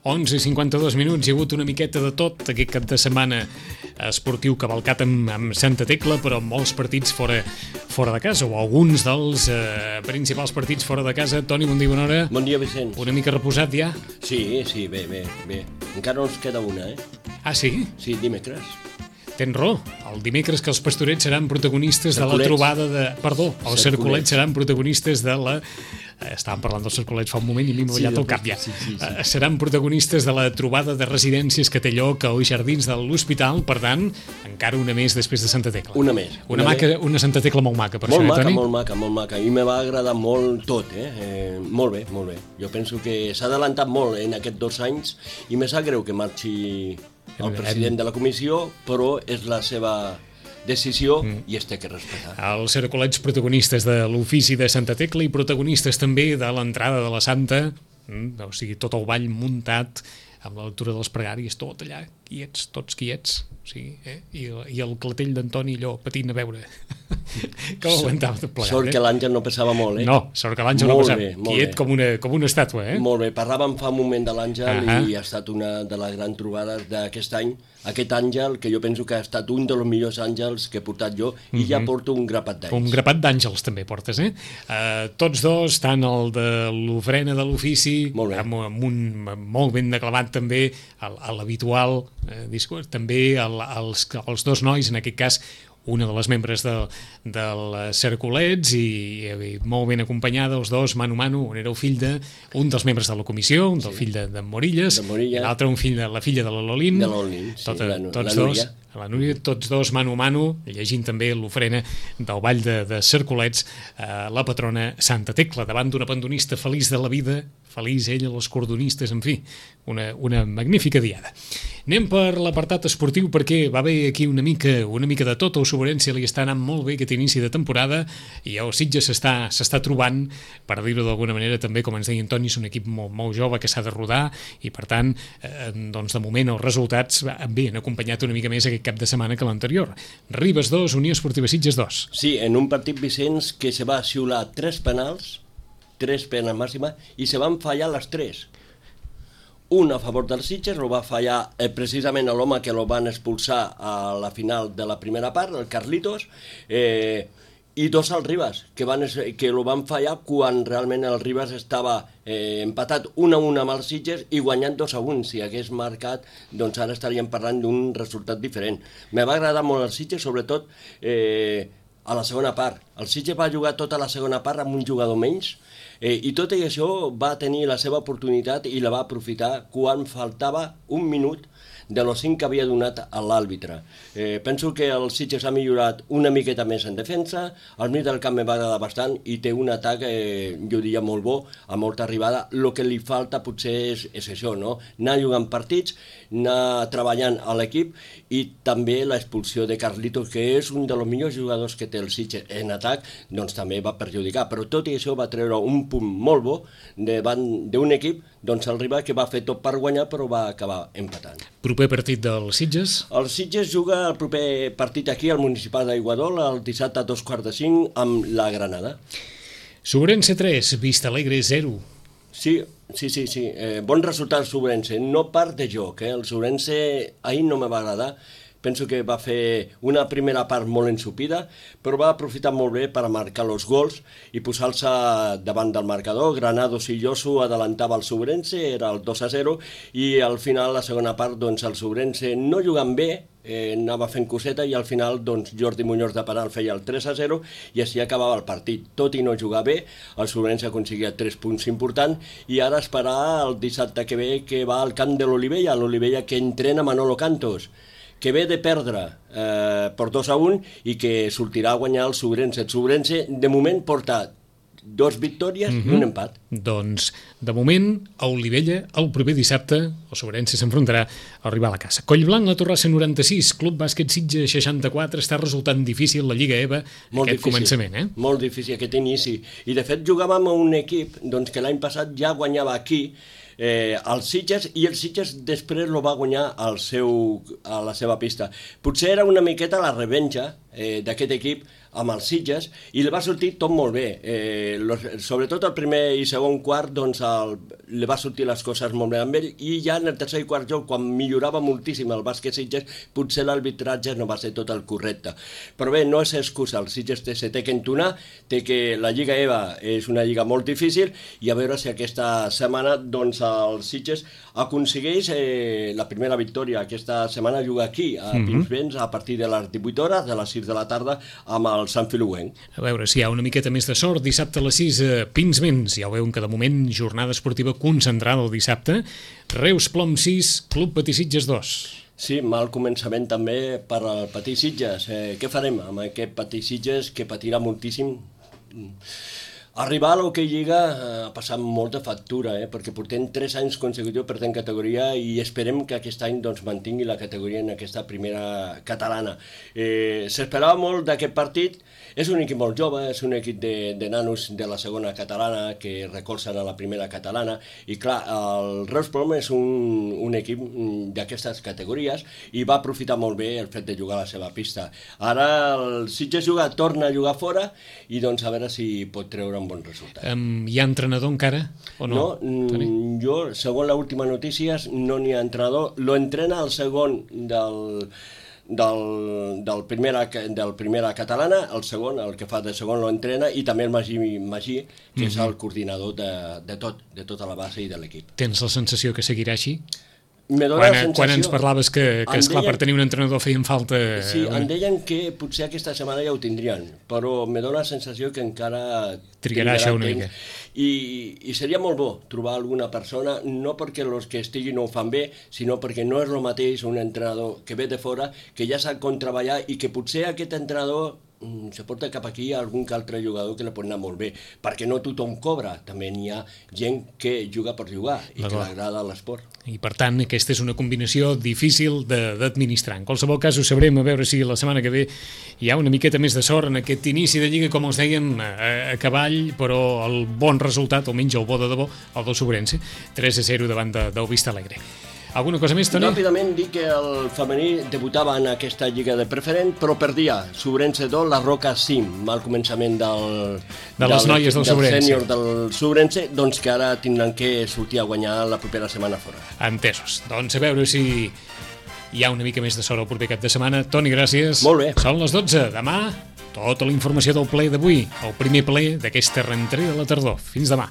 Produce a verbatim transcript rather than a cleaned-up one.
onze i cinquanta-dos minuts, hi ha hagut una miqueta de tot aquest cap de setmana esportiu cavalcat amb, amb Santa Tecla, però amb molts partits fora, fora de casa, o alguns dels eh, principals partits fora de casa. Toni, bon dia, bona hora. Bon dia, Vicenç. Una mica reposat ja? Sí, sí, bé, bé, bé. Encara ens queda una, eh? Ah, sí? Sí, dimecres. Tens raó, el dimecres que els Pastorets seran protagonistes Cercolets. de la trobada de... Perdó, els Cercolets. Cercolets seran protagonistes de la... Estàvem parlant dels Cercolets fa un moment i m'he ballat sí, el cap ja. Sí, sí, sí. Uh, seran protagonistes de la trobada de residències que té lloc als jardins de l'hospital, per tant, encara una més després de Santa Tecla. Una més. Una, una maca, una Santa Tecla molt maca, per molt això, maca, eh, Toni? molt maca, molt maca. I me va agradar molt tot, eh? eh? Molt bé, molt bé. Jo penso que s'ha adelantat molt en aquests dos anys i me sap greu que marxi el president de la comissió, però és la seva decisió mm. i es té que respectar. Els Cercolets protagonistes de l'ofici de Santa Tecla i protagonistes també de l'entrada de la Santa, mm, o sigui, tot el ball muntat amb la lectura de les pregàries, tot allà, quiets, tots quiets, o sigui, eh? I, i el clatell d'Antoni allò patint a veure com aguantava tot plegat. Sort eh? que l'Àngel no pesava molt, eh? No, sort que l'Àngel no Molt pesava, bé, molt quiet bé. com una, com una estàtua, eh? Molt bé, parlàvem fa un moment de l'Àngel Ahà. i ha estat una de les grans trobades d'aquest any. Aquest àngel, que jo penso que ha estat un dels millors àngels que he portat jo, i ja porto un grapat d'anys. Un grapat d'àngels també portes, eh? Uh, tots dos, tant el de l'ofrena de l'ofici, Molt bé. amb, amb un molt ben declamat també, a, a l'habitual eh, discurs, també el, els, els dos nois, en aquest cas, una de les membres de, del Cercolets i, i molt ben acompanyada, els dos, mano a mano. Un era el fill de un dels membres de la comissió, un del sí. fill de, de Morilles, de Morilles. i l'altre un fill de la filla de la Lolín. De l'Olin, sí, Tota, la, tots la dos, Núria. la Núria, tots dos mano a mano, llegint també l'ofrena del ball de, de Cercolets, eh, la patrona Santa Tecla, davant d'una pandonista feliç de la vida, feliç ella, els cordonistes, en fi, una, una magnífica diada. Anem per l'apartat esportiu perquè va haver aquí una mica, una mica de tot. El Sobrense li està anant molt bé aquest inici de temporada i el Sitges s'està s'està trobant, per dir-ho d'alguna manera, també, com ens deia Antoni, és un equip molt, molt jove que s'ha de rodar i, per tant, eh, doncs de moment els resultats bé, han acompanyat una mica més aquest cap de setmana que l'anterior. Ribes dos, Unió Esportiva Sitges dos. Sí, en un partit, Vicenç, que se va xiular tres penals, tres penes màxima, i se van fallar les tres. Un a favor dels Sitges, el va fallar eh, precisament l'home que el van expulsar a la final de la primera part, el Carlitos, eh, i dos al Ribas, que, van, que el van fallar quan realment el Ribas estava eh, empatat un a un amb els Sitges i guanyant dos a un. Si hagués marcat, doncs ara estaríem parlant d'un resultat diferent. Me va agradar molt el Sitges, sobretot eh, a la segona part. El Sitges va jugar tota la segona part amb un jugador menys, Eh, i tot i això va tenir la seva oportunitat i la va aprofitar quan faltava un minut de los cinc que havia donat a l'àrbitre. Eh, penso que el Sitges ha millorat una miqueta més en defensa, al mig del camp me va agradar bastant i té un atac, eh, jo diria, molt bo, a molta arribada. El que li falta potser és, és això, no? Anar jugant partits, anar treballant a l'equip i també l'expulsió de Carlitos, que és un dels millors jugadors que té el Sitges en atac, doncs també va perjudicar. Però tot i això va treure un punt molt bo davant d'un equip, doncs el rival que va fer tot per guanyar però va acabar empatant. Proper partit del Sitges? El Sitges juga el proper partit aquí al Municipal d'Aiguadol el dissabte a dos quarts de cinc amb la Granada. Sobrense tres, Vista Alegre zero. Sí, sí, sí, sí. Eh, bon resultat el Sobrense, no part de joc, eh? El Sobrense ahir no me va agradar. Penso que va fer una primera part molt ensupida, però va aprofitar molt bé per marcar els gols i posar-se davant del marcador. Granados i Lloso adelantava el Sobrense, era el dos a zero, i al final, la segona part, doncs el Sobrense no jugant bé, eh, anava fent coseta i al final doncs, Jordi Muñoz de penal feia el tres a zero i així acabava el partit. Tot i no jugar bé, el Sobrense aconseguia tres punts importants i ara esperar el dissabte que ve que va al camp de l'Olivella, l'Olivella que entrena Manolo Cantos, que ve de perdre eh, per dos a un i que sortirà a guanyar el Sobrense. El Sobrense, de moment, porta dos victòries mm-hmm. i un empat. Doncs, de moment, a Olivella, el proper dissabte, el Sobrense s'enfrontarà al rival a casa. Collblanc, la Torrassa noranta-sis, Club Bàsquet Sitges seixanta-quatre, està resultant difícil la Lliga EVA molt aquest difícil, començament, eh? Molt difícil aquest inici. I, de fet, jugàvem a un equip doncs, que l'any passat ja guanyava aquí, eh, el Sitges, i el Sitges després lo va guanyar al seu, a la seva pista. Potser era una miqueta la revenja eh, d'aquest equip amb els Sitges, i li va sortir tot molt bé. Eh, los, sobretot el primer i segon quart, doncs el, li va sortir les coses molt bé amb ell, i ja en el tercer i quart joc, quan millorava moltíssim el bàsquet Sitges, potser l'arbitratge no va ser tot el correcte. Però bé, no és excusa, el Sitges se té que entonar, té que la Lliga E V A és una lliga molt difícil, i a veure si aquesta setmana doncs el Sitges aconsegueix eh, la primera victòria. Aquesta setmana juga aquí, a mm-hmm. Pinsbens, a partir de les divuit hores, de les sis de la tarda, amb el Sant Filuenc. A veure si hi ha una miqueta més de sort. Dissabte a les sis, a Pinsbens. Ja ho veuen que de moment jornada esportiva concentrada el dissabte. Reus Plom sis, Club Patí Sitges dos. Sí, mal començament també per al Patí Sitges. Eh, què farem amb aquest Patí Sitges que patirà moltíssim? Arribar a l'Hockey Lliga ha passat molta factura, eh? perquè portem tres anys consecutius perdent categoria, i esperem que aquest any doncs, mantingui la categoria en aquesta primera catalana. Eh, S'esperava molt d'aquest partit. És un equip molt jove, és un equip de, de nanos de la segona catalana que recolzen a la primera catalana, i clar, el Reus Plom és un, un equip d'aquestes categories i va aprofitar molt bé el fet de jugar a la seva pista. Ara el Sitges juga, torna a jugar fora, i doncs a veure si pot treure un bon resultat. Um, hi ha entrenador encara o no? No, jo, segons l'última notícia, no n'hi ha entrenador. Lo entrena el segon del... Del, del, primera, del primera catalana, el segon, el que fa de segon lo entrena, i també el Magí, Magí que mm-hmm. és el coordinador de, de tot, de tota la base i de l'equip. Tens la sensació que seguirà així? Me dona quan, la sensació... Quan ens parlaves que, que esclar, deien, per tenir un entrenador feien falta... Sí, em deien que potser aquesta setmana ja ho tindrien, però me dona la sensació que encara... Trigarà això una mica. I, I seria molt bo trobar alguna persona, no perquè els que estiguin ho fan bé, sinó perquè no és el mateix un entrenador que ve de fora, que ja sap com treballar, i que potser aquest entrenador se porta cap aquí a algun que altre jugador que li pot anar molt bé, perquè no tothom cobra, també n'hi ha gent que juga per jugar i que l'agrada l'esport. I per tant aquesta és una combinació difícil d'administrar. En qualsevol cas ho sabrem, a veure si la setmana que ve hi ha una miqueta més de sort en aquest inici de Lliga, com els dèiem, a, a cavall, però el bon resultat, almenys el bo de debò, el del Sobrense, tres a zero davant de, del Vista Alegre. Alguna cosa més, Toni? Ràpidament dir que el femení debutava en aquesta lliga de preferent, però perdia Sobrense dos, la Roca cinc, al començament del, de les noies del, del Sobrense. Del sènior del Sobrense, doncs que ara tindran que sortir a guanyar la propera setmana fora. Entesos. Doncs a veure si hi ha una mica més de sort el proper cap de setmana. Toni, gràcies. Molt bé. Són les dotze. Demà, tota la informació del ple d'avui, el primer ple d'aquesta rentrée de la tardor. Fins demà.